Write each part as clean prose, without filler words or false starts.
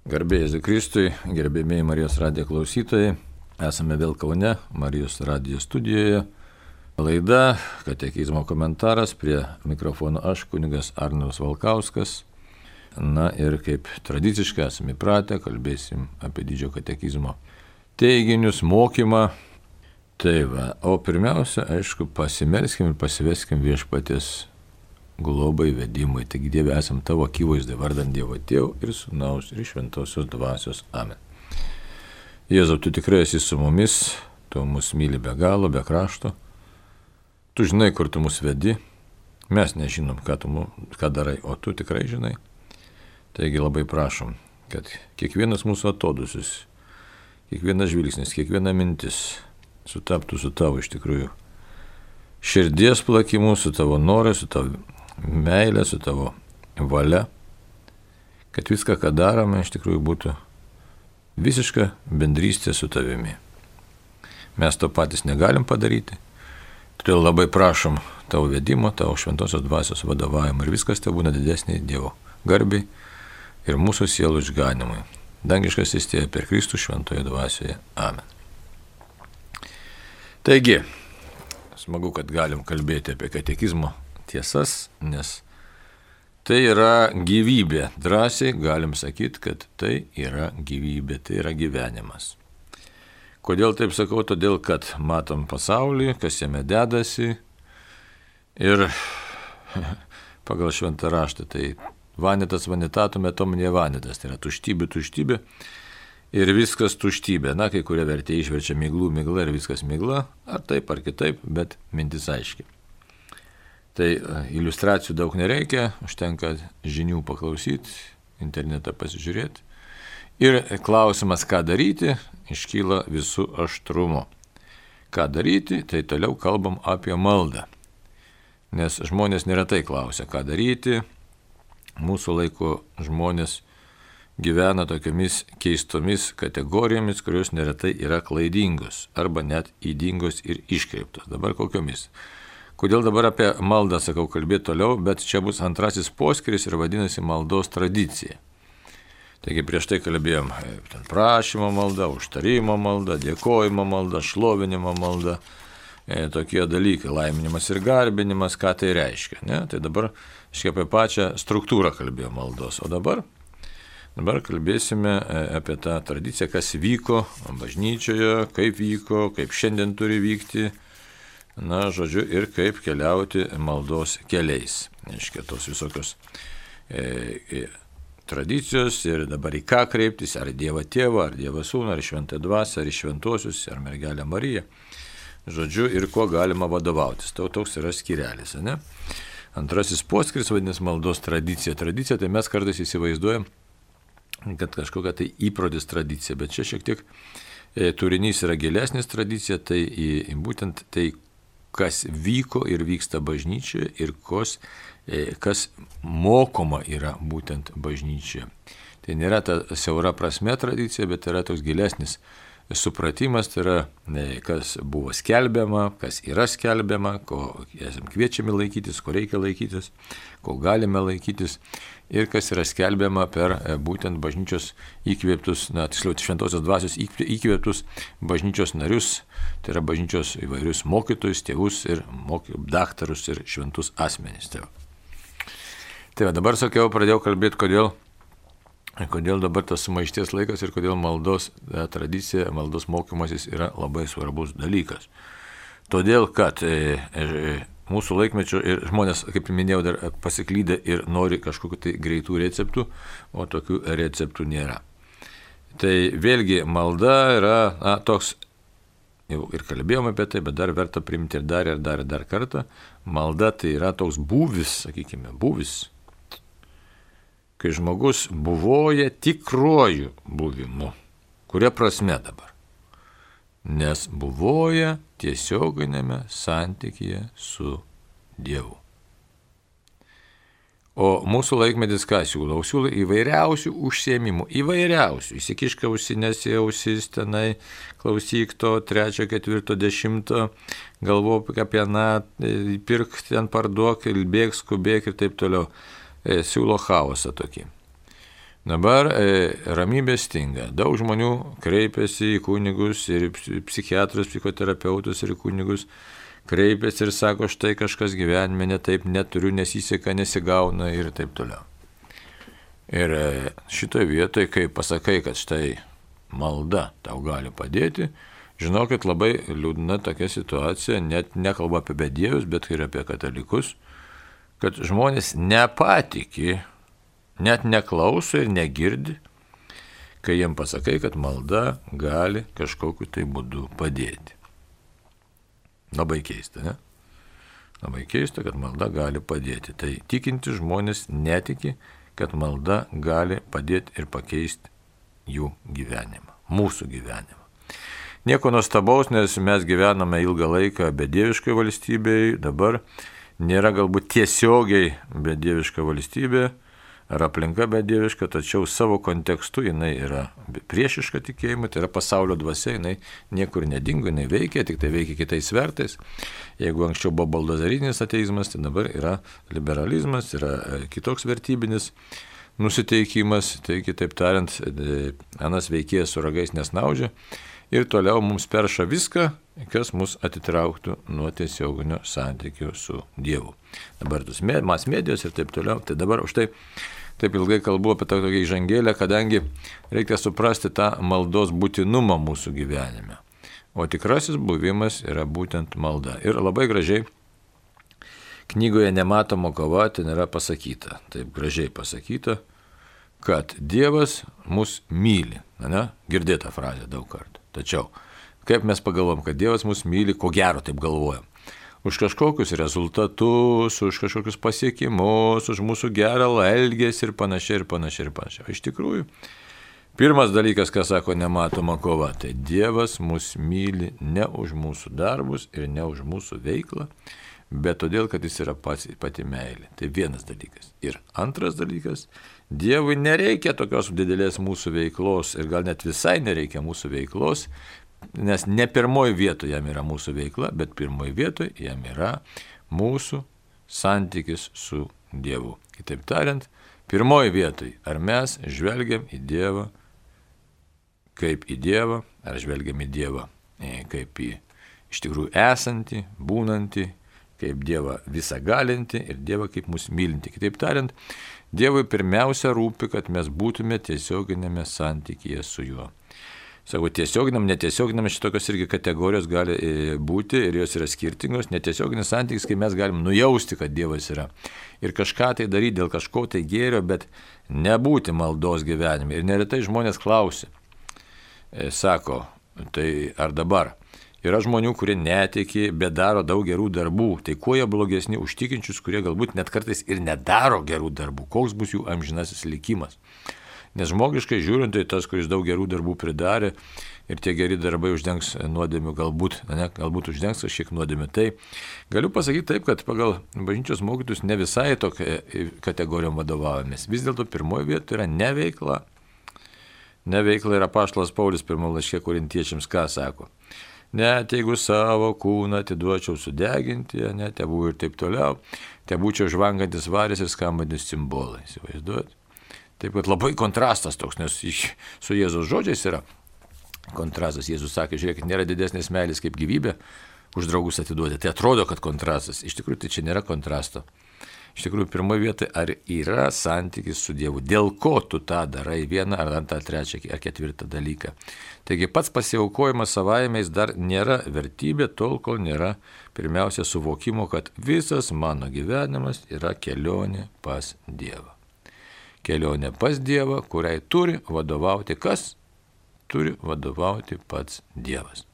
Garbėjai Jėzui Kristui, gerbėmiai Marijos radijo klausytojai, esame vėl Kaune, Marijos radijo studijoje. Laida Katekizmo komentaras, prie mikrofono aš, kunigas Arnoldas Valkauskas. Na ir kaip tradiciškai esame įpratę, kalbėsim apie didžiojo katekizmo teiginius, mokymą. Tai va, o pirmiausia, aišku, pasimelskim ir pasiveskim viešpaties globai vedimui. Taigi Dieve, esam tavo akivaizdai, vardant Dievo Tėvo ir Sūnaus ir Šventosios Dvasios. Amen. Jėzau, tu tikrai esi su mumis, tu mus myli be galo, be krašto. Tu žinai, kur tu mus vedi. Mes nežinom, ką darai, o tu tikrai žinai. Taigi labai prašom, kad kiekvienas mūsų atodusis, kiekvienas žvilgsnis, kiekviena mintis sutaptų su tavo iš tikrųjų širdies plakimu, su tavo norai, su tavo meilė, su tavo valia, kad viską, ką darome, iš tikrųjų būtų visiška bendrystė su tavimi. Mes to patys negalim padaryti, todėl labai prašom tavo vedimo, tavo Šventosios Dvasios vadovavimo ir viskas te būna didesnė Dievo garbiai ir mūsų sielų išganimui. Dangiškas įstėja per Kristų Šventoje Dvasioje. Amen. Taigi, smagu, kad galim kalbėti apie katekizmo tiesas, nes tai yra gyvybė. Drąsiai galim sakyti, kad tai yra gyvybė, tai yra gyvenimas. Kodėl taip sakau? Todėl, kad matom pasaulį, kas jame dedasi ir pagal šventą raštą tai vanitas vanitatum et omnia vanitas, tai yra tuštybė ir viskas tuštybė. Na, kai kurie vertėjai išverčia migla ir viskas migla, ar taip, ar kitaip, bet mintis aiški. Tai iliustracijų daug nereikia, užtenka žinių paklausyti, internetą pasižiūrėti. Ir klausimas, ką daryti, iškyla visų aštrumo. Ką daryti, tai toliau kalbam apie maldą. Nes žmonės neretai klausia, ką daryti. Mūsų laiko žmonės gyvena tokiamis keistomis kategorijomis, kurios neretai yra klaidingos arba net ydingos ir iškreiptos. Dabar kokiomis? Kodėl dabar apie maldą sakau kalbėti toliau, bet čia bus antrasis poskiris ir vadinasi maldos tradicija. Taigi prieš tai kalbėjom prašymo malda, užtarimo malda, dėkojimo malda, šlovinimo malda, tokie dalykai, laiminimas ir garbinimas, ką tai reiškia. Ne? Tai dabar apie pačią struktūrą kalbėjom maldos, o dabar kalbėsime apie tą tradiciją, kas vyko bažnyčioje, kaip šiandien turi vykti, na, žodžiu, ir kaip keliauti maldos keliais. Reiškia, tos visokios tradicijos ir dabar į ką kreiptis, ar Dievą Tėvą, ar Dievą Sūnų, ar Šventąją Dvasią, ar į šventuosius, ar mergelę Mariją. Žodžiu, ir kuo galima vadovautis. Toks yra skyrelis, ne? Antrasis poskiris vadinasi maldos tradicija. Tradicija, tai mes kartais įsivaizduojam, kad kažkokia tai įprotis tradicija, bet čia šiek tiek turinys yra gilesnis tradicija, tai būtent tai, kas vyko ir vyksta bažnyčioje ir kas mokoma yra būtent bažnyčioje. Tai nėra ta siaura prasme tradicija, bet yra toks gilesnis supratimas, tai yra kas buvo skelbiama, kas yra skelbiama, ko esame kviečiami laikytis, ko reikia laikytis, ko galime laikytis ir kas yra skelbiama per būtent bažnyčios įkvėptus, tiksliau Šventosios Dvasios įkvėptus bažnyčios narius, tai yra bažnyčios įvairius mokytojus, tėvus ir daktarus ir šventus asmenys. Tai va, dabar pradėjau kalbėti, kodėl dabar tas sumaišties laikas ir kodėl maldos tradicija, maldos mokymasis yra labai svarbus dalykas. Todėl, kad mūsų laikmečio ir žmonės, kaip minėjau, dar pasiklydę ir nori kažkokiu tai greitų receptų, o tokių receptų nėra. Tai vėlgi malda yra toks, jau ir kalbėjome apie tai, bet dar verta priimti ir dar kartą. Malda tai yra toks būvis, sakykime, kai žmogus buvoja tikruoju buvimu. Kuria prasme dabar? Nes buvoja tiesioginėme santykyje su Dievu. O mūsų laikmetis ką siūlo? Siūlo įvairiausių užsiėmimų, įsikiška ausinės į ausis tenai, klausyk to 3, 4, 10, galvok apie pirk ten parduok, bėk, skubėk ir taip toliau. Siūlo chaosą tokį. Dabar ramybė stinga. Daug žmonių kreipiasi į kunigus ir psichiatrus, psichoterapeutus ir į kunigus. Kreipiasi ir sako, štai kažkas gyvenime netaip, neturiu, nesiseka, nesigauna ir taip toliau. Ir šitoje vietoje, kai pasakai, kad štai malda tau gali padėti, žinokit, labai liūdna tokia situacija, net nekalba apie bedievius, bet ir apie katalikus, kad žmonės nepatiki, net neklauso ir negirdi, kai jiem pasakai, kad malda gali kažkokiu tai būdu padėti. Labai keista, ne? Labai keista, kad malda gali padėti. Tai tikinti žmonės netiki, kad malda gali padėti ir pakeisti jų gyvenimą, mūsų gyvenimą. Nieko nuostabaus, nes mes gyvename ilgą laiką bedieviškoje valstybėje, dabar nėra galbūt tiesiogiai bedieviška valstybė ar aplinka bedieviška, tačiau savo kontekstu jinai yra priešiška tikėjimui, tai yra pasaulio dvasia, jinai niekur nedingo, jinai veikia, tik tai veikia kitais svertais. Jeigu anksčiau buvo baldozarinis ateizmas, tai dabar yra liberalizmas, yra kitoks vertybinis nusiteikimas, tai kitaip tariant, anas veikėjas su ragais nesnaudžia ir toliau mums perša viską, kas mus atitrauktų nuo tiesioginio santykio su Dievu. Dabar tos mas medijos ir taip toliau, tai dabar už tai taip ilgai kalbu apie tą tokią įžangėlę, kadangi reikia suprasti tą maldos būtinumą mūsų gyvenime. O tikrasis buvimas yra būtent malda. Ir labai gražiai knygoje Nematoma kova ten yra pasakyta, taip gražiai pasakyta, kad Dievas mus myli. Ne? Girdėta frazė daug kartų. Tačiau, kaip mes pagalvom, kad Dievas mus myli, ko gero taip galvojam. Už kažkokius rezultatus, už kažkokius pasiekimus, už mūsų gerą elgesį ir panašiai, ir panašiai, ir panašiai. Iš tikrųjų, pirmas dalykas, ką sako Nematoma kova, tai Dievas mus myli ne už mūsų darbus ir ne už mūsų veiklą, bet todėl, kad jis yra pati meilė. Tai vienas dalykas. Ir antras dalykas, Dievui nereikia tokios didelės mūsų veiklos ir gal net visai nereikia mūsų veiklos, nes ne pirmoji vietoje jam yra mūsų veikla, bet pirmoji vietoje jam yra mūsų santykis su Dievu. Kitaip tariant, pirmoji vietoje, ar mes žvelgiam į Dievą kaip į Dievą, ar žvelgiam į Dievą kaip į iš tikrųjų esantį, būnantį, kaip Dievą visagalinti ir Dievą kaip mus mylinti. Kitaip tariant, Dievui pirmiausia rūpi, kad mes būtume tiesioginėme santykyje su juo. Sako, tiesioginiam, netiesioginam šitokios irgi kategorijos gali būti ir jos yra skirtingos. Netiesioginis santykis, kai mes galim nujausti, kad Dievas yra. Ir kažką tai daryti dėl kažko tai gėrio, bet nebūti maldos gyvenime. Ir neretai žmonės klausia, sako, tai ar dabar? Yra žmonių, kurie netiki, bet daro daug gerų darbų. Tai kuo jie blogesni už tikinčius, kurie galbūt net kartais ir nedaro gerų darbų? Koks bus jų amžinasis likimas? Nes žmogiškai žiūrint, tai tas, kuris daug gerų darbų pridarė ir tie geri darbai uždengs nuodėmių, galbūt uždengs kažkiek nuodėmių. Tai galiu pasakyti taip, kad pagal bažnyčios mokytus ne visai tokia kategorijom vadovaujamės. Vis dėlto pirmoji vieta yra neveikla. Neveikla yra apaštalas Paulius pirmame laiške Korintiečiams ką sako. Net jeigu savo kūną atiduočiau sudeginti, tebū ir taip toliau, tebūčiau žvangantis varis ir skambantis cimbolai. Įsivaizduojat? Taip, kad labai kontrastas toks, nes su Jėzaus žodžiais yra kontrastas. Jėzus sakė, žiūrėkit, nėra didesnės meilės kaip gyvybė už draugus atiduoti. Tai atrodo, kad kontrastas. Iš tikrųjų, tai čia nėra kontrasto. Iš tikrųjų, pirmoje vietoje, ar yra santykis su Dievu? Dėl ko tu tą darai vieną ar antrą, trečią ar ketvirtą dalyką? Taigi pats pasiaukojimas savaime jis dar nėra vertybė, tol kol nėra pirmiausia suvokimo, kad visas mano gyvenimas yra kelionė pas Dievą. Kelionė pas Dievą, kuriai turi vadovauti kas? Turi vadovauti pats Dievas.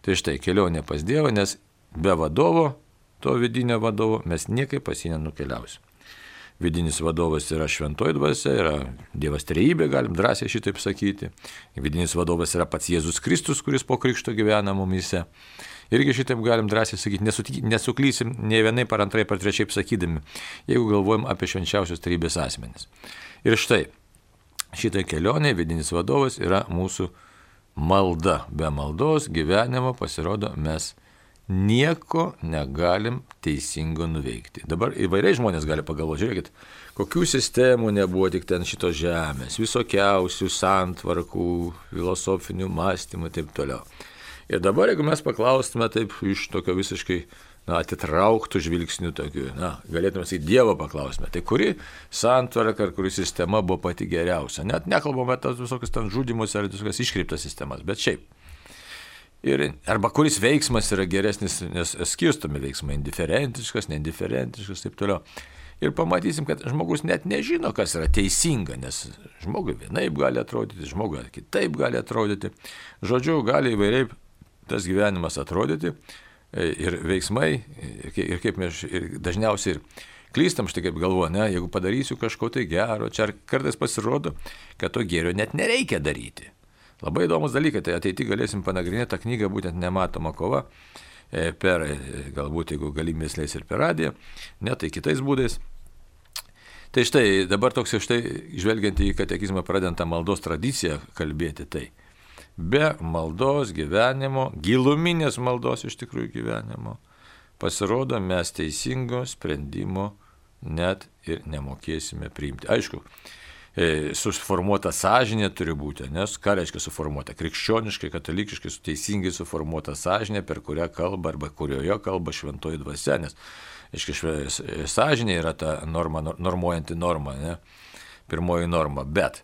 Tai štai kelionė pas Dievą, nes be vadovo, to vidinio vadovo, mes niekaip pas jį nenukeliausim. Vidinis vadovas yra šventoji dvasia, yra Dievas trejybė, galim drąsiai šitaip sakyti. Vidinis vadovas yra pats Jėzus Kristus, kuris po krikšto gyvena mumyse. Irgi šitaip galim drąsiai sakyti, nesuklysim nei vienai par antrai, par trečiai sakydami, jeigu galvojam apie švenčiausios trejybės asmenis. Ir štai, šitai kelionė, vidinis vadovas yra mūsų malda. Be maldos gyvenimo pasirodo mes nieko negalim teisingo nuveikti. Dabar įvairiai žmonės gali pagalvoti, žiūrėkit, kokių sistemų nebuvo tik ten šitos žemės, visokiausių santvarkų, filosofinių mąstymų ir taip toliau. Ir dabar, jeigu mes paklaustume taip iš tokio visiškai atitrauktų žvilgsnių tokių, galėtume sakyti, Dievo paklausime, tai kuri santvarka ar kuri sistema buvo pati geriausia. Net nekalbame apie tas visokius ten žudymus ar visokias iškreiptas sistemas, bet šiaip. Arba kuris veiksmas yra geresnis, nes skirstomi veiksmai, indiferentiškas, neindiferentiškas, taip toliau. Ir pamatysim, kad žmogus net nežino, kas yra teisinga, nes žmogui vienaip gali atrodyti, žmogui kitaip gali atrodyti. Žodžiu, gali įvairiai tas gyvenimas atrodyti ir veiksmai, ir kaip mes dažniausiai ir klystam, štai kaip galvoju, jeigu padarysiu kažko tai gero, čia kartais pasirodo, kad to gėrio net nereikia daryti. Labai įdomus dalykai, tai ateity galėsim panagrinėti tą knygą, būtent Nematoma kova, per, galbūt jeigu galimės leis ir per radiją, ne tai kitais būdais. Tai štai, dabar toks štai, žvelgiant į katekizmą pradedantą maldos tradiciją kalbėti, tai be maldos gyvenimo, giluminės maldos iš tikrųjų gyvenimo, pasirodo, mes teisingo sprendimo net ir nemokėsime priimti. Aišku, suformuota sąžinė turi būti, nes ką reiškia suformuota? Krikščioniškai, katalikiškai, teisingai suformuota sąžinė, per kurią kalba arba kurioje kalba šventoji dvasia, nes sąžinė yra ta normuojanti norma, pirmoji norma, bet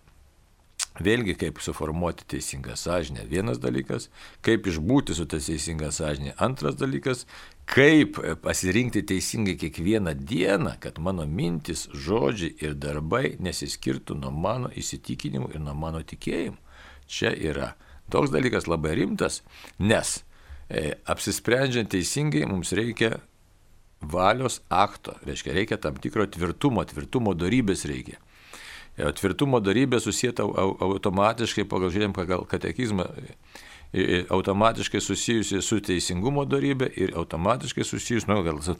vėlgi kaip suformuoti teisingą sąžinę, vienas dalykas, kaip išbūti su ta teisinga sąžinė, antras dalykas, kaip pasirinkti teisingai kiekvieną dieną, kad mano mintis, žodžiai ir darbai nesiskirtų nuo mano įsitikinimų ir nuo mano tikėjimų. Čia yra toks dalykas labai rimtas, nes apsisprendžiant teisingai mums reikia valios akto, reikia tam tikro tvirtumo dorybės reikia. Tvirtumo dorybė susieta automatiškai, pagal katekizmą, automatiškai susijusi su teisingumo dorybė ir automatiškai susijus,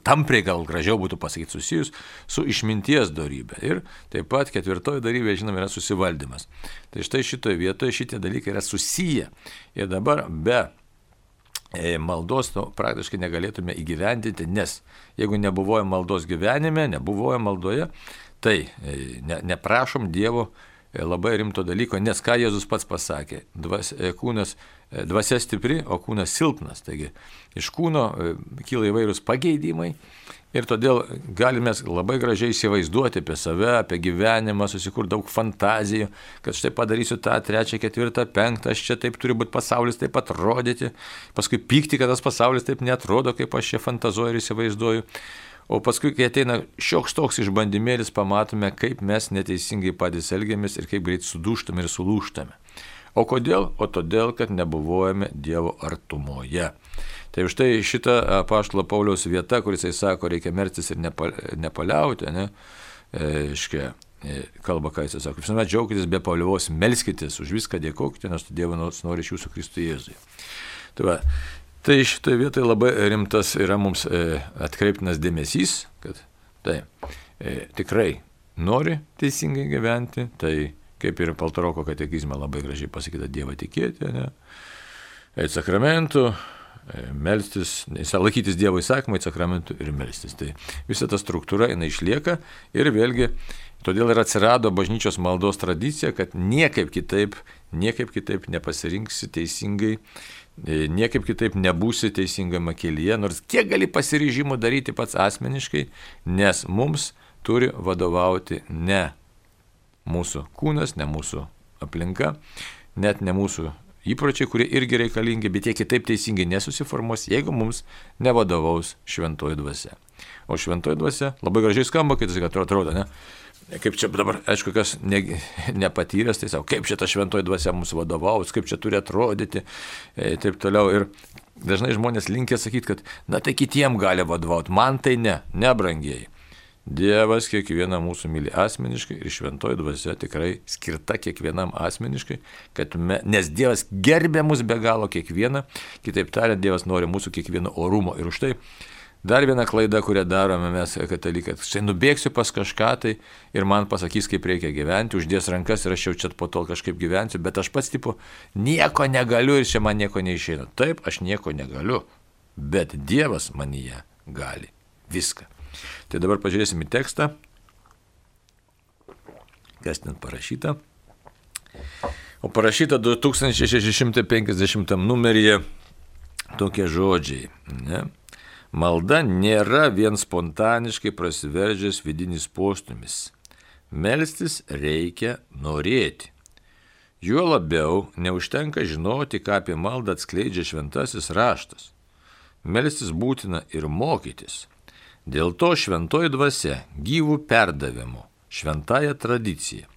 tampriai gal gražiau būtų pasakyti, susijus su išminties dorybė. Ir taip pat ketvirtoji dorybė, žinoma, yra susivaldymas. Tai štai šitoje vietoje šitie dalykai yra susiję. Ir dabar be maldos praktiškai negalėtume įgyvendinti, nes jeigu nebuvoja maldos gyvenime, nebuvoja maldoje, tai neprašom Dievo labai rimto dalyko, nes ką Jėzus pats pasakė, dvasia stipri, o kūnas silpnas. Taigi iš kūno kyla įvairūs pageidimai ir todėl galime labai gražiai įsivaizduoti apie save, apie gyvenimą, susikurti daug fantazijų, kad štai padarysiu tą, 3, 4, 5, aš čia taip turi būti pasaulis taip atrodyti, paskui pykti, kad tas pasaulis taip netrodo, kaip aš čia fantazuoju ir įsivaizduoju. O paskui, kai ateina šioks toks išbandymėlis, pamatome, kaip mes neteisingai patys elgiamės ir kaip greit sudūštame ir sulūštame. O kodėl? O todėl, kad nebuvojame Dievo artumoje. Tai už tai šita apaštalo Pauliaus vieta, kuris jisai sako, reikia melstis ir nepaliauti, kalba, ką jisai sako, visuomet džiaukitės be paliauvos, melskitės, už viską dėkokite, nes Dievas nori iš jūsų Kristuje Jėzuje. Tai šitoje vietoje labai rimtas yra mums atkreiptinas dėmesys, kad tikrai nori teisingai gyventi, tai kaip ir Paltaroko katekizme labai gražiai pasakyta, Dievą tikėti, eiti sakramentų, melstis, laikytis Dievo įsakymų, eiti sakramentų ir melstis. Tai visa ta struktūra jinai išlieka ir vėlgi todėl ir atsirado bažnyčios maldos tradicija, kad niekaip kitaip nepasirinksi teisingai, niekaip kitaip nebūsi teisingame kelyje, nors kiek gali pasiryžimų daryti pats asmeniškai, nes mums turi vadovauti ne mūsų kūnas, ne mūsų aplinka, net ne mūsų įpročiai, kurie irgi reikalingi, bet jie kitaip teisingai nesusiformuos, jeigu mums nevadovaus šventoji dvasia. O šventoji dvasia labai gražiai skamba, kai tai atrodo, ne? Kaip čia dabar, aišku, kas nepatyręs, tai savo, kaip čia ta šventoji dvasia mums vadovaus, kaip čia turi atrodyti, taip toliau. Ir dažnai žmonės linkia sakyti, kad, tai kitiem gali vadovauti, man tai ne brangiai. Dievas kiekvieną mūsų myli asmeniškai ir šventoji dvasia tikrai skirta kiekvienam asmeniškai, nes Dievas gerbė mus be galo kiekvieną, kitaip tariant, Dievas nori mūsų kiekvieno orumo. Ir už tai dar viena klaida, kurią darome mes katalikai, štai nubėgsiu pas kažką tai ir man pasakys, kaip reikia gyventi, uždės rankas ir aš jau čia po to kažkaip gyvensiu, bet aš pats nieko negaliu ir čia man nieko neišeina. Taip, aš nieko negaliu, bet Dievas manyje gali viską. Tai dabar pažiūrėsim į tekstą, kas ten parašyta. O parašyta 2650 numeryje tokie žodžiai. Ne? Malda nėra vien spontaniškai prasiveržęs vidinis postūmis. Melstis reikia norėti. Juo labiau neužtenka žinoti, ką apie maldą atskleidžia šventasis raštas. Melstis būtina ir mokytis. Dėl to šventoji dvasia gyvų perdavimų, šventąją tradiciją,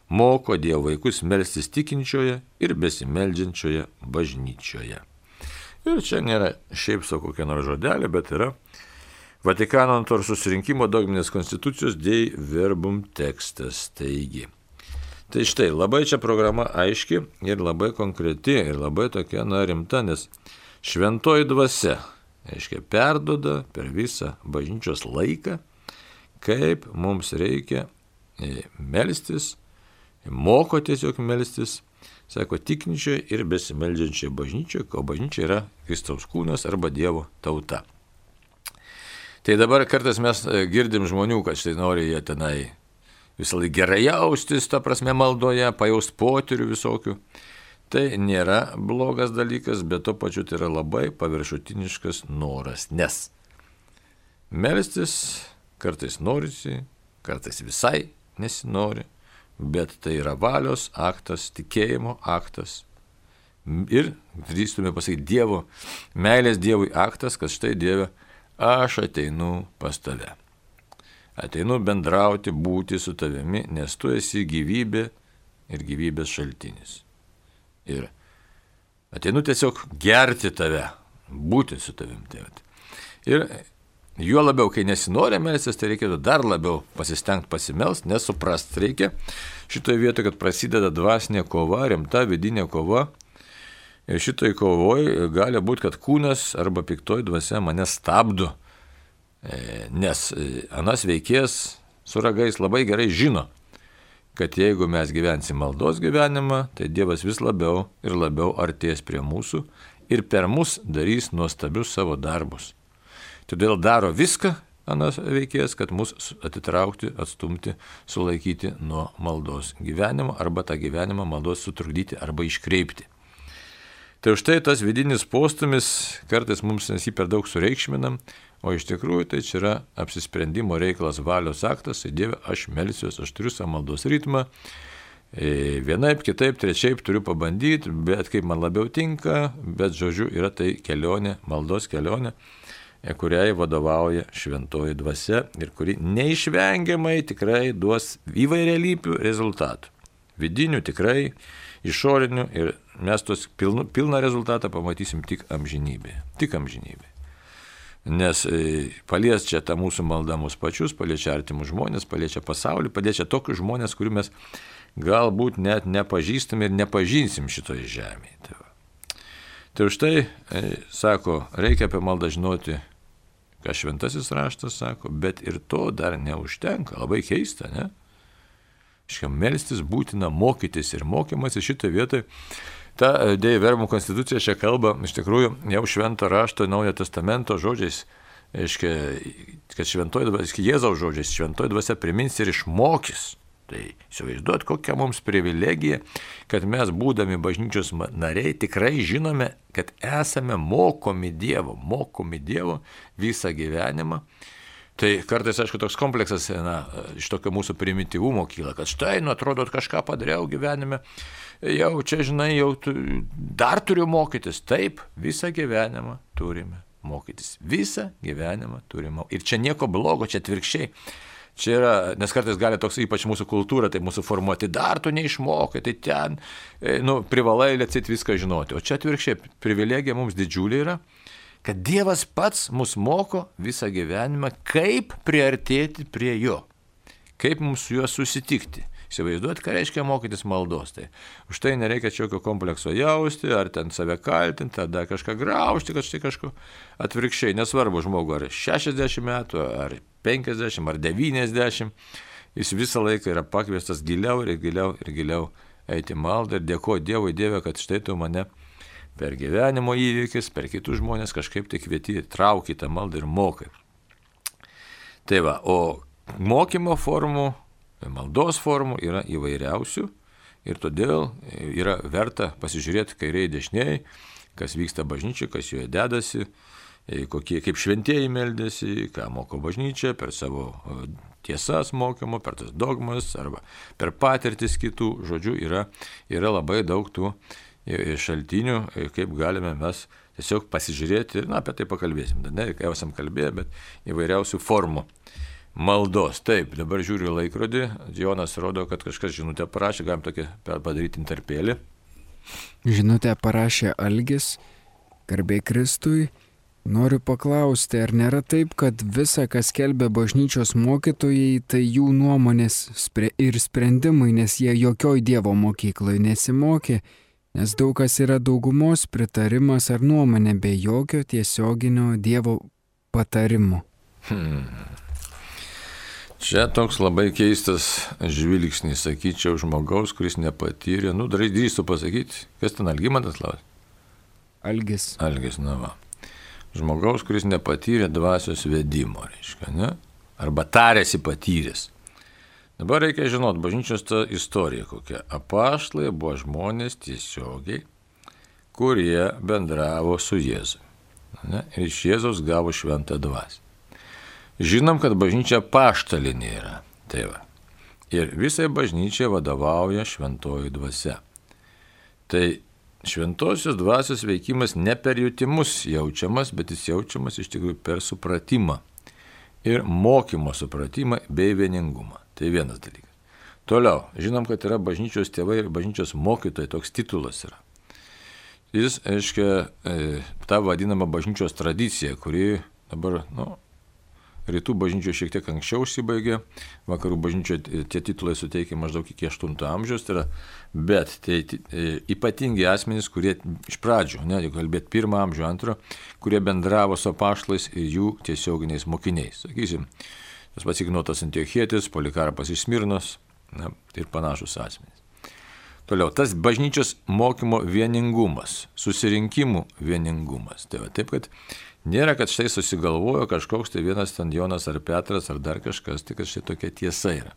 moko Dievo vaikus melstis tikinčioje ir besimeldžiančioje bažnyčioje. Ir čia nėra šiaip sau kokia nors žodelė, bet yra Vatikano antrojo susirinkimo dogminės konstitucijos Dei Verbum tekstas. Taigi. Tai štai, labai čia programa aiški ir labai konkreti ir labai tokia rimta, nes šventoji dvasia, aiškiai, perduoda per visą bažnyčios laiką, kaip mums reikia melstis, moko tiesiog melstis, sako, tikinčioje ir besimeldžiančioje bažnyčioje, o bažnyčia yra Kristaus kūnas arba Dievo tauta. Tai dabar kartais mes girdim žmonių, kad štai nori jie tenai visą laiką gerai jaustis, ta prasme maldoje, pajaust potyrių visokių. Tai nėra blogas dalykas, bet to pačiu tai yra labai paviršutiniškas noras, nes melstis kartais norisi, kartais visai nesinori, bet tai yra valios aktas, tikėjimo aktas ir, drįstume pasakyti, Dievo, meilės Dievui aktas, kad štai Dieve, aš ateinu pas tave. Ateinu bendrauti, būti su tavimi, nes tu esi gyvybė ir gyvybės šaltinis. Ir ateinu tiesiog gerti tave, būti su tavim. Ir juo labiau, kai nesinori melstis, tai reikėtų dar labiau pasistengti pasimelst, nes suprast reikia šitoje vietoje, kad prasideda dvasinė kova, rimta vidinė kova. Ir šitoj kovoje gali būti, kad kūnas arba piktoji dvasia mane stabdo, nes anas veikėjas su ragais labai gerai žino, kad jeigu mes gyvensim maldos gyvenimą, tai Dievas vis labiau ir labiau artės prie mūsų ir per mus darys nuostabius savo darbus. Todėl daro viską anas veikėjas, kad mus atitraukti, atstumti, sulaikyti nuo maldos gyvenimo arba tą gyvenimą maldos sutrukdyti arba iškreipti. Tai už tai tas vidinis postūmis kartais mums mes jį per daug sureikšminam, o iš tikrųjų tai čia yra apsisprendimo reikalas, valios aktas, tai Dieve, aš melsiuosi, aš turiu savo maldos ritmą, vienaip, kitaip, trečiaip turiu pabandyti, bet kaip man labiau tinka, bet žodžiu yra tai kelionė, maldos kelionė, kuriai vadovauja šventoji dvasia ir kuri neišvengiamai tikrai duos įvairialypių rezultatų. Vidinių tikrai, išorinių ir mes tos pilną rezultatą pamatysim tik amžinybėje. Tik amžinybėje. Nes palies čia tą mūsų maldą mus pačius, paliečia artimus žmonės, paliečia pasaulį, paliečia tokius žmonės, kurių mes galbūt net nepažįstam ir nepažinsim šitoje žemėje. Tai už tai, sako, reikia apie maldą žinoti, ką šventasis raštas sako, bet ir to dar neužtenka. Labai keista, ne? Melstis būtina mokytis ir mokymasis šitoje vietoje. Ta Dei Verbum konstitucija čia kalba, iš tikrųjų, jau švento rašto Naujojo testamento žodžiais, kad šventoji dvasia, Jėzaus žodžiais, šventoji dvasia primins ir išmokys. Tai įsivaizduot, kokia mums privilegija, kad mes, būdami bažnyčios nariai, tikrai žinome, kad esame mokomi Dievo visą gyvenimą. Tai kartais, aišku, toks kompleksas iš tokio mūsų primityvumo kyla, kad štai, atrodo, kažką padariau gyvenime, jau čia, žinai, dar turiu mokytis. Taip, visą gyvenimą turime mokytis. Visą gyvenimą turime. Ir čia nieko blogo, čia atvirkščiai. Čia yra, nes kartais gali toks, ypač mūsų kultūra, tai mūsų formuoti, dar tu neišmokai, tai ten, privalai lecit viską žinoti. O čia atvirkščiai, privilegija mums didžiulė yra, kad Dievas pats mus moko visą gyvenimą, kaip priartėti prie Jo, kaip mums su Juo susitikti. Įsivaizduoti, ką reiškia mokytis maldos. Tai už tai nereikia jokio komplekso jausti, ar ten save kaltinti, ar dar kažką graužti, kad štai kažko atvirkščiai. Nesvarbu žmogų, ar 60 metų, ar 50, ar 90, jis visą laiką yra pakviestas giliau ir giliau ir giliau eiti maldą ir dėkoju Dievui, Dieve, kad štai tu mane per gyvenimo įvykis, per kitus žmonės kažkaip tai kvieti, trauki tą maldą ir mokai. Tai va, o mokymo formų, maldos formų yra įvairiausių ir todėl yra verta pasižiūrėti kairiai dešiniai, kas vyksta bažnyčiai, kas joje dedasi, kaip šventieji meldėsi, ką moko bažnyčia per savo tiesas mokymo, per tas dogmas arba per patirtis kitų. Žodžiu, yra labai daug tų šaltinių, kaip galime mes tiesiog pasižiūrėti ir apie tai pakalbėsim. Ne, jau esam kalbėję, bet įvairiausių formų maldos. Taip, dabar žiūriu laikrodį, Jonas rodo, kad kažkas žinutę parašė, galim tokį padaryti interpėlį. Žinutę parašė Algis, garbė Kristui. Noriu paklausti, ar nėra taip, kad visa, kas skelbia bažnyčios mokytojai, tai jų nuomonės ir sprendimai, nes jie jokioj Dievo mokykloje nesimokė, nes daug kas yra daugumos pritarimas ar nuomonė be jokio tiesioginio Dievo patarimo. Čia toks labai keistas žvilgsnis, sakyčiau, žmogaus, kuris nepatyrė. Drįstu pasakyti, kas ten Algimantas klausė? Algis, va. Žmogaus, kuris nepatyrė dvasios vedimo, reiškia, ne? Arba tarėsi patyręs. Dabar reikia žinoti, bažnyčios ta istorija kokia. Apaštalai buvo žmonės tiesiogiai, kurie bendravo su Jėzumi. Ne? Ir iš Jėzaus gavo šventą dvasią. Žinom, kad bažnyčia apaštalinė yra. Tai va. Ir visai bažnyčiai vadovauja šventoji dvasia. Tai šventosios dvasios veikimas ne per jutimus jaučiamas, bet jis jaučiamas iš tikrųjų per supratimą ir mokymo supratimą bei vieningumą. Tai vienas dalykas. Toliau, žinom, kad yra bažnyčios tėvai ir bažnyčios mokytojai, toks titulas yra. Jis, aiškia, ta vadinama bažnyčios tradicija, kuri dabar, rytų bažnyčioje šiek tiek anksčiau užsibaigė, vakarų bažnyčioje tie titulai suteikia maždaug iki 8 amžiaus, tai yra, bet tai ypatingi asmenys, kurie iš pradžių, jeigu kalbėt 1 amžių, 2, kurie bendravo su apaštalais ir jų tiesioginiais mokiniais. Sakysim, tas pats Ignotas Antiochietis, Polikarpas iš Smirnos ir panašus asmenys. Toliau, tas bažnyčios mokymo vieningumas, susirinkimų vieningumas. Tai va, taip, kad nėra, kad štai susigalvojo kažkoks tai vienas ten Jonas ar Petras ar dar kažkas, tai kad štai tokia tiesa yra.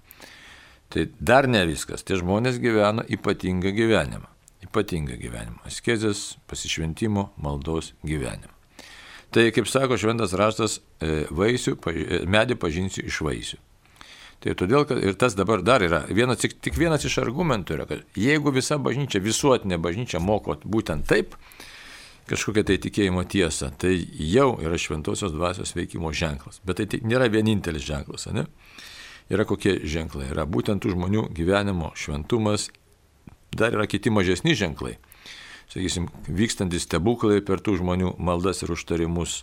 Tai dar ne viskas. Tie žmonės gyvena ypatingą gyvenimą. Ypatingą gyvenimą. Askezės, pasišventimo, maldos gyvenimą. Tai, kaip sako šventas raštas, medį pažinsiu iš vaisių. Tai todėl, kad ir tas dabar dar yra, tik vienas iš argumentų yra, kad jeigu visa bažnyčia, visuotinė bažnyčia moko būtent taip, kažkokia tai tikėjimo tiesa, tai jau yra šventosios dvasios veikimo ženklas. Bet tai nėra vienintelis ženklas, ne? Yra kokie ženklai. Yra būtent tų žmonių gyvenimo šventumas, dar yra kiti mažesni ženklai. Sakysim, vykstantys stebuklai per tų žmonių maldas ir užtarimus,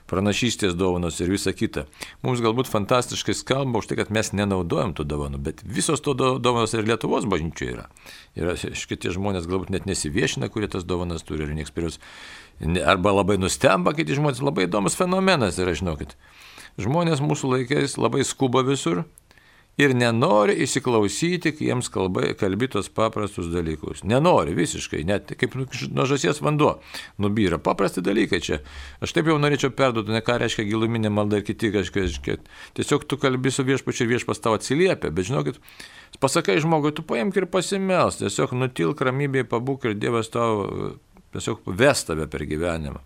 pranašystės dovanos ir visa kita. Mums galbūt fantastiškai skamba už tai, kad mes nenaudojam tų dovanų, bet visos to dovanos ir Lietuvos bažnyčioje yra. Ir šitie žmonės galbūt net nesiviešina, kurie tas dovanas turi ir nieks per juos. Arba labai nustemba, kiti žmonės, labai įdomus fenomenas yra, žinokit. Žmonės mūsų laikais labai skuba visur ir nenori įsiklausyti, kai jiems kalbi tos paprastus dalykus. Nenori visiškai, net kaip nuo žąsies vanduo nubyra. Paprasti dalykai čia. Aš taip jau norėčiau perduoti, ne ką reiškia giluminė malda ir kiti kažkiek. Tiesiog tu kalbi su viešpačiu ir viešpas tau atsiliepia, bet žinokit, pasakai žmogui, tu paimk ir pasimelsk, tiesiog nutilk ramybėje, pabūk ir Dievas tau tiesiog ves tave per gyvenimą.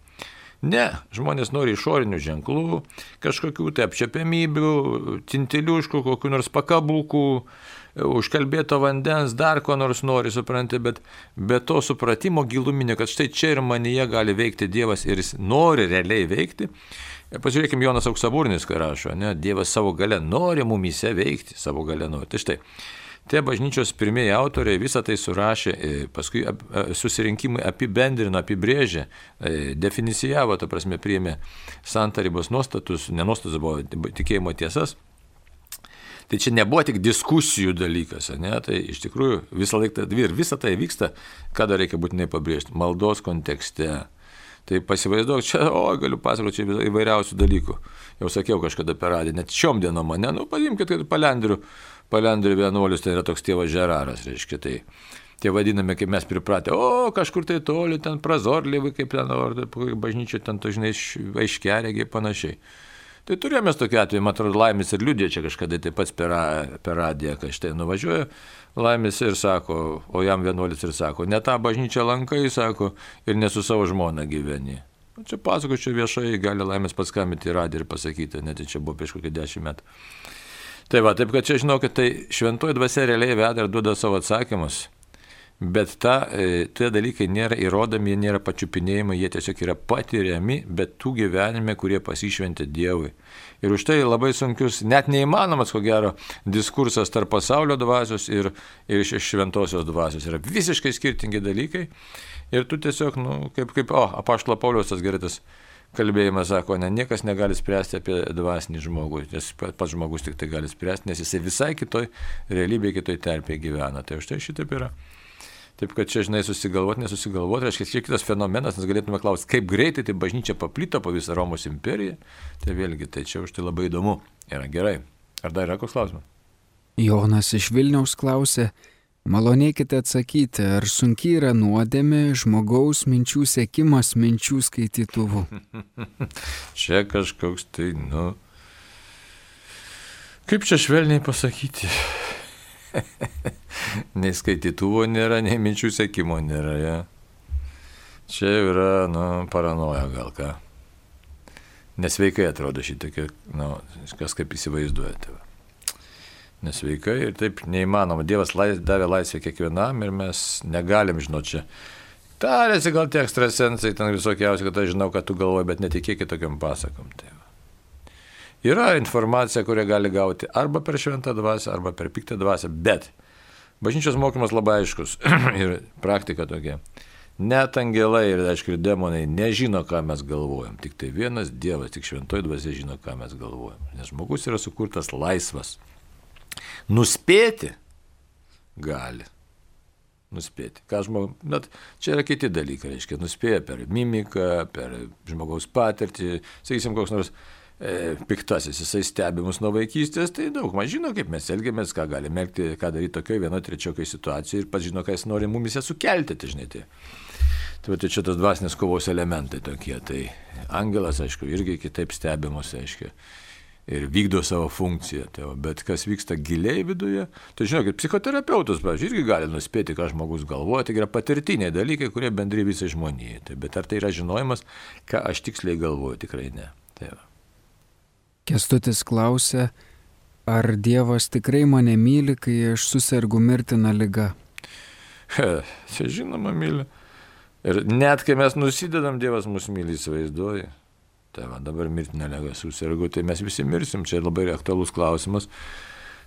Ne, žmonės nori išorinių ženklų, kažkokių tai apčiapiamybių, tintiliuškų, kokių nors pakabukų, užkalbėto vandens, dar ko nors nori, supranti, bet be to supratimo giluminio, kad štai čia ir manyje gali veikti Dievas ir jis nori realiai veikti. Pažiūrėkime, Jonas Auksaburnis, ką rašo, ne? Dievas savo gale nori mumyse veikti, savo gale nori. Tai štai. Tie bažnyčios pirmieji autoriai visą tai surašė, paskui susirinkimai apibendrino, apibrėžė, definicijavo, ta prasme, priėmė santarybos nuostatus, nenuostatus buvo tikėjimo tiesas. Tai čia nebuvo tik diskusijų dalykas, ne? Tai iš tikrųjų visą laiką ir visą tai vyksta, ką dar reikia būtinai pabrėžti, maldos kontekste. Tai pasivaizduok, čia, galiu pasakoti, čia įvairiausių dalykų. Jau sakiau kažkada per radiją, net šiom dienom mane, paimkite, kad palendrių vienuolius, tai yra toks tėvas Žeraras, reiškia, tai tie vadinami, kaip mes pripratę, o kažkur tai toli, ten prazorliai, kaip ten, bažnyčia ten, tu žinai, aiškiaregiai panašiai. Tai turėjome tokį atvejį, man atrodo, Laimis ir liudė čia kažkada taip pat per radiją, kai štai nuvažiuoja Laimis ir sako, o jam vienuolis ir sako, ne tą bažnyčią lankai, sako, ir ne su savo žmona gyveni. Čia pasako, čia viešai gali Laimis paskambinti į radiją ir pasakyti, net čia buvo prieš kokį 10 metų. Tai va, taip kad čia žinau, kad tai šventoji dvasia realiai veda ir duoda savo atsakymus. Bet tie dalykai nėra įrodomi, jie nėra pačiupinėjimai, jie tiesiog yra patiriami, bet tų gyvenime, kurie pasišventė Dievui. Ir už tai labai sunkius, net neįmanomas, ko gero, diskursas tarp pasaulio dvasios ir šventosios dvasios. Yra visiškai skirtingi dalykai. Ir tu tiesiog, apaštalo Pauliaus tas geritas kalbėjimas sako, niekas negali spręsti apie dvasinį žmogų, nes pats žmogus tik tai gali spręsti, nes jisai visai kitoj realybėje, kitoj terpėje gyvena. Tai už tai šitaip yra. Taip, kad čia, žinai, nesusigalvoti, reiškia, čia kitas fenomenas, nes galėtume klausti, kaip greitai tai bažnyčia paplito po visą Romos imperiją. Tai vėlgi, tai čia už tai labai įdomu. Yra gerai. Ar dar yra koks klausimas? Jonas iš Vilniaus klausė, malonėkite atsakyti, ar sunkiai yra nuodėmė žmogaus minčių sekimas minčių skaitytuvu? Čia kažkoks tai, kaip čia švelniai pasakyti? Nei skaitytuvo nėra, nei minčių sekimo nėra. Ja. Čia yra, paranoja gal ką. Nesveikai atrodo šitokia, kas kaip įsivaizduojate. Nesveikai ir taip neįmanoma. Dievas davė laisvę kiekvienam ir mes negalim žinoti čia. Tarėsi gal tie ekstrasensai, ten visokiausi, kad aš žinau, kad tu galvoji, bet netikėkit tokiam pasakom. Tai yra informacija, kurią gali gauti arba per šventą dvasią, arba per piktą dvasią, bet bažnyčios mokymas labai aiškus ir praktika tokia. Net angelai ir, aišku, ir demonai nežino, ką mes galvojam. Tik tai vienas Dievas, tik šventoji dvasia žino, ką mes galvojam. Nes žmogus yra sukurtas laisvas. Nuspėti gali. Nuspėti. Bet čia yra kiti dalykai, reiškia, nuspėja per mimiką, per žmogaus patirtį, sakysim, koks nors piktasis, jisai stebi mus nuo vaikystės, tai daug maž žino, kaip mes elgiamės, ką galime elgti, ką daryti tokioje vienoje, trečiokai situacijoje ir pats žino, ką jis nori mumise sukelti, tai žinai. Tai čia tas dvasinės kovos elementai tokie, tai angelas, aišku, irgi kitaip stebi mus, aišku, ir vykdo savo funkciją, bet kas vyksta giliai viduje, tai žinokit, psichoterapeutas, pavyzdžiui, irgi gali nuspėti, ką žmogus galvoja, tai yra patirtiniai dalykai, kurie bendri visai žmonijai, bet ar tai yra žinojimas, ką aš tiksliai galvoju, tikrai ne. Kęstutis klausė, ar Dievas tikrai mane myli, kai aš susergu mirtiną ligą? Čia žinoma myli. Ir net kai mes nusidedam, Dievas mus myli, įsivaizduoja. Tai dabar mirtiną ligą susergu, tai mes visi mirsim, čia labai aktualus klausimas.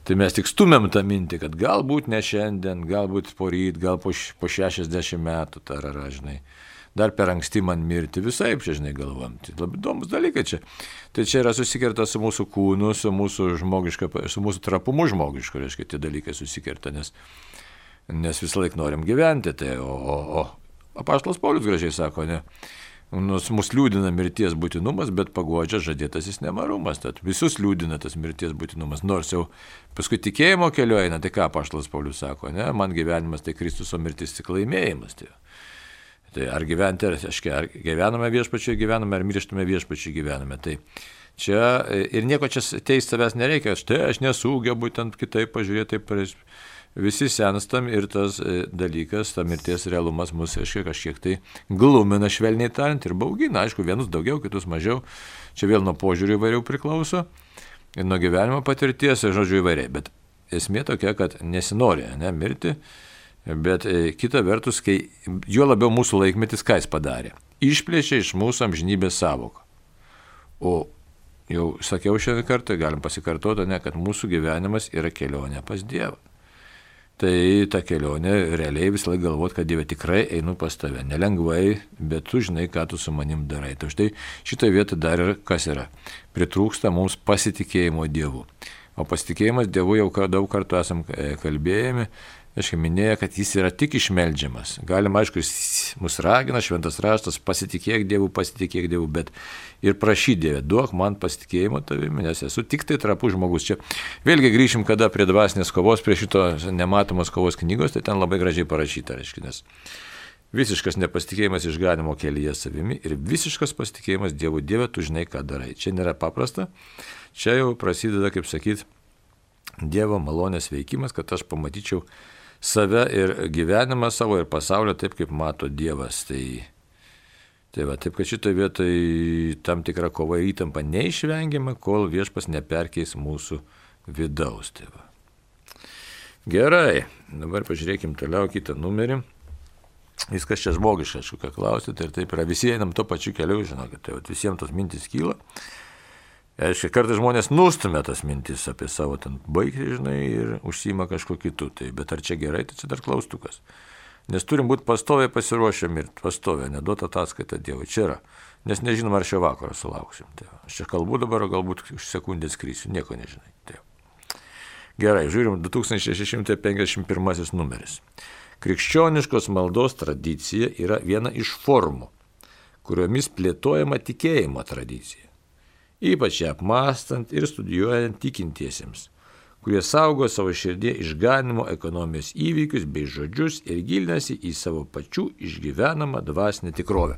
Tai mes tik stumiam tą mintį, kad galbūt ne šiandien, galbūt poryt, gal po 60 metų, žinai. Dar per anksti man mirti, visai, čia, žinai, galvom. Tai labai įdomus dalykai čia. Tai čia yra susikerta su mūsų kūnu, su mūsų trapumu žmogišku, reiškia, tie dalykai susikerta, nes visą laiką norim gyventi. Tai, o apaštalas Paulius gražiai sako, ne, mus liūdina mirties būtinumas, bet paguodžia žadėtasis nemarumas. Tad visus liūdina tas mirties būtinumas. Nors jau paskui tikėjimo keliu eina, tai ką apaštalas Paulius sako, ne, man gyvenimas tai Kristus, o mirtis tik laimėjimas. Tai ar gyventi, ar gyvename viešpačiai gyvename, ar mirštame viešpačiai gyvename. Tai čia ir nieko čia teisti savęs nereikia, aš nesugebu ten kitaip pažiūrėti, taip visi senstam ir tas dalykas, ta mirties realumas mus kažkiek tai glumina, švelniai tariant, ir baugina, aišku, vienus daugiau, kitus mažiau, čia vėl nuo požiūrių įvairių priklauso, ir nuo gyvenimo patirties, žodžiu, įvairiai, bet esmė tokia, kad nesinori, mirti. Bet kita vertus, kai juo labiau mūsų laikmetis, ką jis padarė? Išplėšė iš mūsų amžinybės savoką. O jau sakiau šiandien kartą, galim pasikartoti, kad mūsų gyvenimas yra kelionė pas Dievą. Tai ta kelionė realiai visą laiką galvot, kad Dieve tikrai einu pas tave. Nelengvai, bet tu žinai, ką tu su manim darai. Tai štai šitoje vietoje dar ir kas yra. Pritrūksta mums pasitikėjimo Dievu. O pasitikėjimas Dievu jau daug kartų esam kalbėjami, aiškiai minėjo, kad jis yra tik išmeldžiamas. Galima, aišku, jis mus ragina, šventas raštas, pasitikėk Dievu, bet ir prašy Dieve, duok man pasitikėjimo tavimi, nes esu tik tai trapus žmogus. Čia vėlgi grįšim kada prie dvasinės kovos, prie šito nematomos kovos knygos, tai ten labai gražiai parašyta, reiškia, nes visiškas nepasitikėjimas išganimo kelyje savimi ir visiškas pasitikėjimas Dievu. Dieve, tu žinai, ką darai. Čia nėra paprasta, čia jau prasideda, kaip sakyt, Dievo malonės veikimas, kad aš pamatyčiau save ir gyvenimą savo ir pasaulio taip, kaip mato Dievas. Tai va, taip, kad šitoje vietoje tam tikra kova ir įtampa neišvengiama, kol Viešpas neperkeis mūsų vidaus. Tai va. Gerai, dabar pažiūrėkim toliau kitą numerį. Viskas čia žmogiška, aišku, ką klausyti, ir taip yra, visi einam to pačiu keliu, žinokit, tai visiems tos mintis kyla. Aišku, kartais žmonės nustumia tas mintis apie savo ten baigti, žinai, ir užsima kažko kitų, tai, bet ar čia gerai, tai čia dar klaustukas. Nes turim būti pastoviai pasiruošę mirti, pastoviai, neduota ataskaita Dievui, čia yra, nes nežinom, ar šio vakaro sulauksim. Tai, aš čia kalbu dabar, galbūt už sekundę skrisiu, nieko nežinai. Tai. Gerai, žiūrim, 2651 numeris. Krikščioniškos maldos tradicija yra viena iš formų, kuriomis plėtojama tikėjimo tradicija, ypač ją apmąstant ir studijuojant tikintiesiems, kurie saugo savo širdie išganimo ekonomijos įvykius bei žodžius ir gilinasi į savo pačių išgyvenamą dvasinę tikrovę.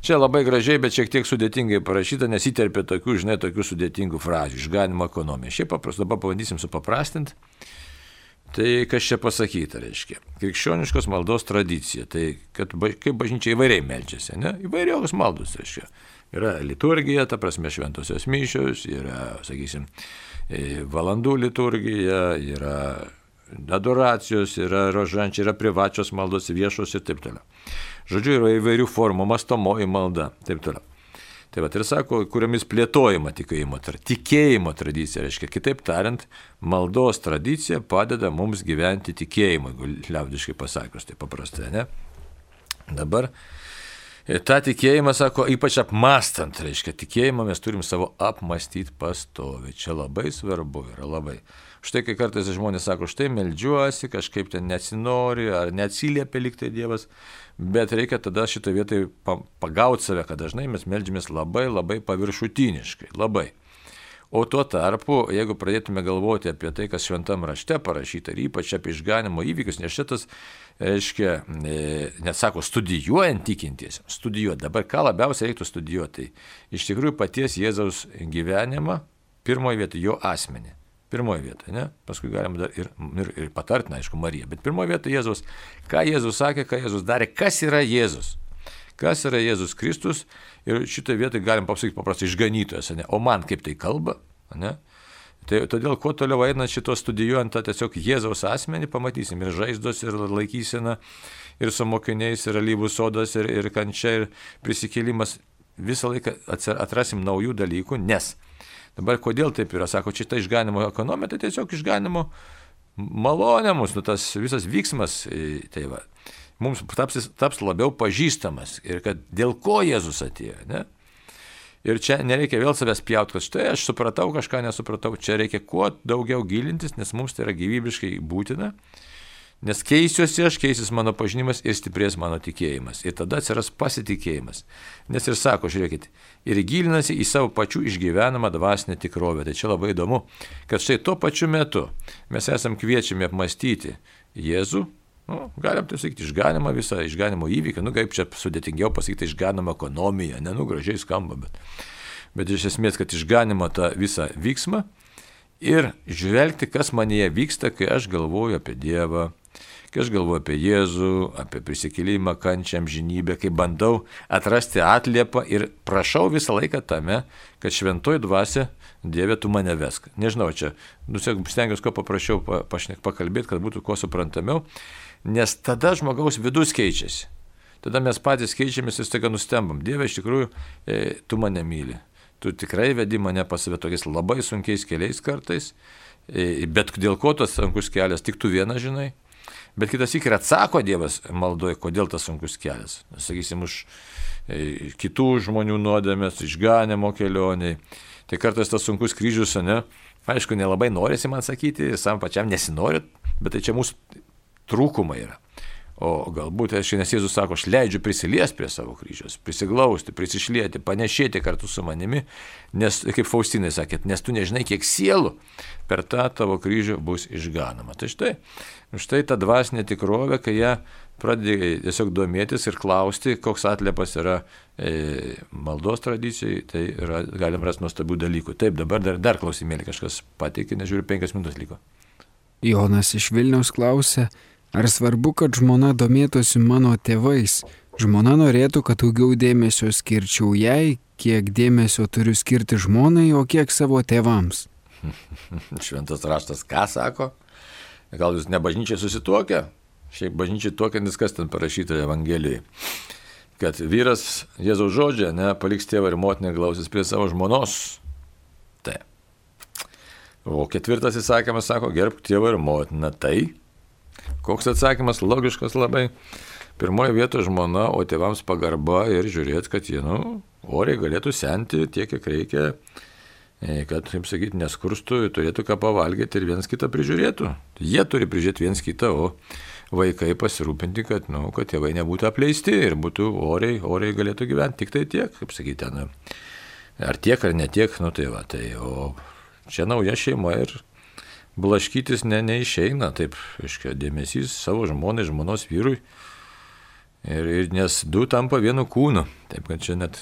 Čia labai gražiai, bet šiek tiek sudėtingai parašyta, nes įterpia tokių sudėtingų frazių, išganimo ekonomija. Šiaip paprastai, dabar pabandysim supaprastinti. Tai kas čia pasakyta, reiškia? Krikščioniškos maldos tradicija. Tai kaip bažnyčia įvairiai meldžiasi, ne? Įvairios maldos, reiškia. Yra liturgija, ta prasme šventosios mišios, yra, sakysim, valandų liturgija, yra adoracijos, yra rožančiai, yra privačios maldos, viešos ir taip toliau. Žodžiu, yra įvairių formų, mąstomoji malda, taip toliau. Tai va, ir sako, kuriomis plėtojama tikėjimo tradicija, reiškia, kitaip tariant, maldos tradicija padeda mums gyventi tikėjimą, liaudiškai pasakius, tai paprastai, ne? Dabar tą tikėjimą, sako, ypač apmąstant, reiškia, tikėjimą mes turim savo apmąstyti pastoviai, čia labai svarbu yra, labai. Štai kai kartais žmonės sako, štai meldžiuosi, kažkaip ten nesinori, ar neatsiliepia liktai Dievas, bet reikia tada šitą vietą pagauti save, kad dažnai mes meldžiamės labai paviršutiniškai, labai. O tuo tarpu, jeigu pradėtume galvoti apie tai, kas šventam rašte parašyta, ir ypač apie išganimo įvykius, nes šitas, reiškia, net sako, studijuojant tikintiesiems, studijuoti. Dabar ką labiausiai reiktų studijuoti, tai iš tikrųjų paties Jėzaus gyvenimą, pirmoje vietoje jo asmenį. Pirmoje vietoje, ne? Paskui galim dar ir patartina, aišku, Mariją. Bet pirmoje vietoje Jėzus, ką Jėzus sakė, ką Jėzus darė, kas yra Jėzus. Kas yra Jėzus Kristus ir šitoje vietoje galim pasakyti paprastai išganytojas, ne? O man kaip tai kalba, ne? Tai todėl, kuo toliau einant šito studijuojant tą tiesiog Jėzaus asmenį, pamatysim ir žaizdos, ir laikysena, ir su mokiniais, ir alyvų sodas, ir kančia, ir prisikėlimas. Visą laiką atrasim naujų dalykų, nes dabar kodėl taip yra, sako, čia ta išganimo ekonomija, tai tiesiog išganimo malonė mūsų, tas visas vyksmas, tai va, mums taps labiau pažįstamas ir kad dėl ko Jėzus atėjo, ne? Ir čia nereikia vėl savęs pjauti, kad štai aš supratau, kažką nesupratau, čia reikia kuo daugiau gilintis, nes mums tai yra gyvybiškai būtina, nes keisiuosi aš, keisis mano pažinimas ir stiprės mano tikėjimas. Ir tada atsiras pasitikėjimas. Nes ir sako, žiūrėkit, ir gilinasi į savo pačių išgyvenamą dvasinę tikrovę. Tai čia labai įdomu, kad štai tuo pačiu metu mes esam kviečiami apmąstyti Jėzų, galim tai sakyti, išganimą visą, išganimo įvykį, kaip čia sudėtingiau pasakyti, išganimą ekonomiją, gražiai skamba, bet iš esmės, kad išganimą tą visą vyksmą ir žvelgti, kas manyje vyksta, kai aš galvoju apie Dievą, kai aš galvoju apie Jėzų, apie prisikėlimą, kančią, amžinybę, kai bandau atrasti atliepą ir prašau visą laiką tame, kad šventoji dvasia, Dieve, tu mane vesk. Nežinau, čia stengiuosi kuo paprašiau pakalbėti, kad būtų kuo suprantamiau, nes tada žmogaus vidus keičiasi. Tada mes patys keičiamės ir staiga nustembam. Dieve, iš tikrųjų, tu mane myli. Tu tikrai vedi mane pas save tokiais labai sunkiais keliais kartais, bet dėl ko tas sunkus kelias, tik tu vieną žinai. Bet kitas ir atsako Dievas maldoje, kodėl tas sunkus kelias. Sakysim, už kitų žmonių nuodėmės, išganimo kelioniai. Tai kartais tas sunkus kryžius, ne? Aišku, nelabai norisi man sakyti, sam pačiam nesinori, bet tai čia mūsų trūkumai yra. O galbūt, nes Jėzus sako, aš leidžiu prisiliesti prie savo kryžiaus, prisiglausti, prisišlieti, panešėti kartu su manimi, nes, kaip Faustinai sakėt, nes tu nežinai, kiek sielų per tą tavo kryžių bus išganoma. Tai štai ta dvasinė tikrovė, kai ją pradedi tiesiog domėtis ir klausti, koks atliepas yra maldos tradicijai, tai galim rasti nuostabių dalykų. Taip, dabar dar klausimėlį kažkas pateikė, nežiūriu, 5 minutės liko. Jonas iš Vilniaus klausė, ar svarbu, kad žmona domėtųsi mano tėvais? Žmona norėtų, kad daugiau dėmesio skirčiau jai, kiek dėmesio turiu skirti žmonai, o kiek savo tėvams. Šventas raštas ką sako? Gal jūs ne bažnyčiai susituokę? Šiaip bažnyčiai tuokiantis, kas ten parašyta Evangelijai. Kad vyras Jėzaus žodžia, paliks tėvą ir motiną, glausis prie savo žmonos. Tai. O 4 įsakymas sako, gerbk tėvą ir motiną. Tai. Koks atsakymas logiškas labai. Pirmoje vietoje žmona, o tėvams pagarba ir žiūrėti, kad jie, oriai galėtų senti tiek, kiek reikia, kad, kaip sakyti, neskurstų, turėtų ką pavalgyti ir vienas kitą prižiūrėtų. Jie turi prižiūrėti vienas kitą, o vaikai pasirūpinti, kad tėvai nebūtų apleisti ir būtų oriai galėtų gyventi. Tik tai tiek, kaip sakyti, ten, ar tiek, ar netiek, tai va. Tai, o čia nauja šeima ir blaškytis neišeina, taip, aiškiai, dėmesys savo žmonai, žmonos vyrui, ir nes du tampa vienu kūnu. Taip, kad čia net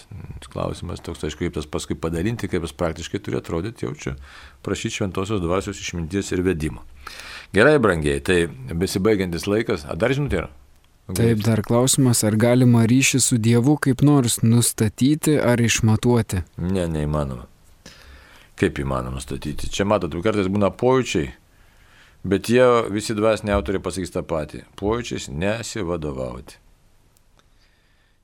klausimas toks, aišku, kaip tas paskui padalinti, kaip tas praktiškai turi atrodyti, jau čia prašyti šventosios dvasios išminties ir vedimo. Gerai, brangiai, tai besibaigiantis laikas, dar žinutė yra? Taip, dar klausimas, ar galima ryšį su Dievu kaip nors nustatyti ar išmatuoti? Ne, neįmanoma. Kaip įmanoma statyti? Čia matot, kartais būna pojūčiai, bet jie visi dvasiniai autoriai pasakys tą patį. Pojūčiais nesivadovauti.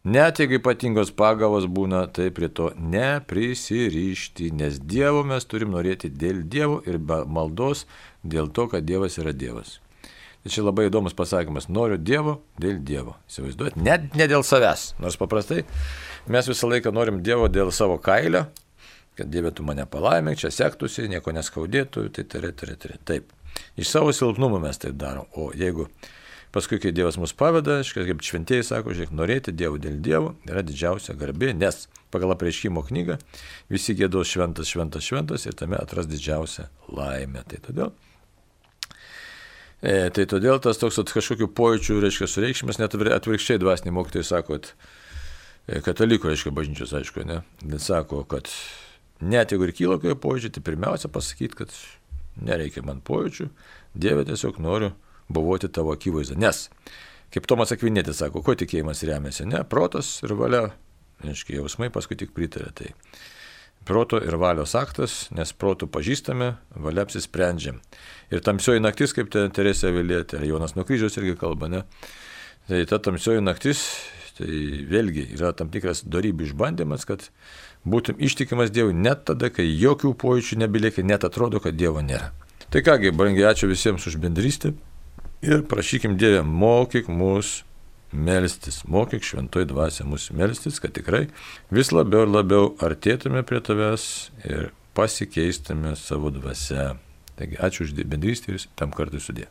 Net jeigu ypatingos pagavos būna, tai prie to neprisirišti, nes Dievo mes turim norėti dėl Dievo ir maldos dėl to, kad Dievas yra Dievas. Tai čia labai įdomus pasakymas. Noriu Dievo dėl Dievo. Įsivaizduoti, net ne dėl savęs. Nors paprastai mes visą laiką norim Dievo dėl savo kailio, kad Dieve tu mane palaimink, čia sektųsi, nieko neskaudėtų, tai taip. Iš savo silpnumo mes taip darom. O jeigu paskui, kai Dievas mus paveda, kaip šventieji sako, žiūrėk, norėti Dievo dėl Dievo yra didžiausia garbė, nes pagal Apreiškimo knygą visi giedos šventas, šventas, šventas ir tame atras didžiausią laimę. Tai todėl tas toks kažkokių pojūčių, sureikšmės, net atvirkščiai dvasiniai mokytojai sako, katalikų, bažnyčios, aišku, sako, kad net jeigu ir kyla kokie pojūčiai, tai pirmiausia pasakyti, kad nereikia man pojūčių, Dieve tiesiog noriu buvoti tavo akivaizdą. Nes, kaip Tomas Akvinėtis sako, ko tikėjimas remiasi, protas ir valia, jausmai paskui tik pritarė. Tai proto ir valios aktas, nes protų pažįstame, valia apsisprendžiam. Ir tamsioji naktis, kaip Teresė Avilietė, ar Jonas nuo kryžiaus irgi kalba, tai ta tamsioji naktis, tai vėlgi yra tam tikras dorybių išbandymas, kad būtum ištikimas Dievui net tada, kai jokių pojūčių nebelieka, net atrodo, kad Dievo nėra. Tai kągi, brangiai, ačiū visiems už bendrystę ir prašykim Dievę, mokyk mus melstis, mokyk šventoji dvasia mus melstis, kad tikrai vis labiau ir labiau artėtume prie tavęs ir pasikeistume savo dvasia. Taigi, ačiū už bendrystę ir tam kartui sudė.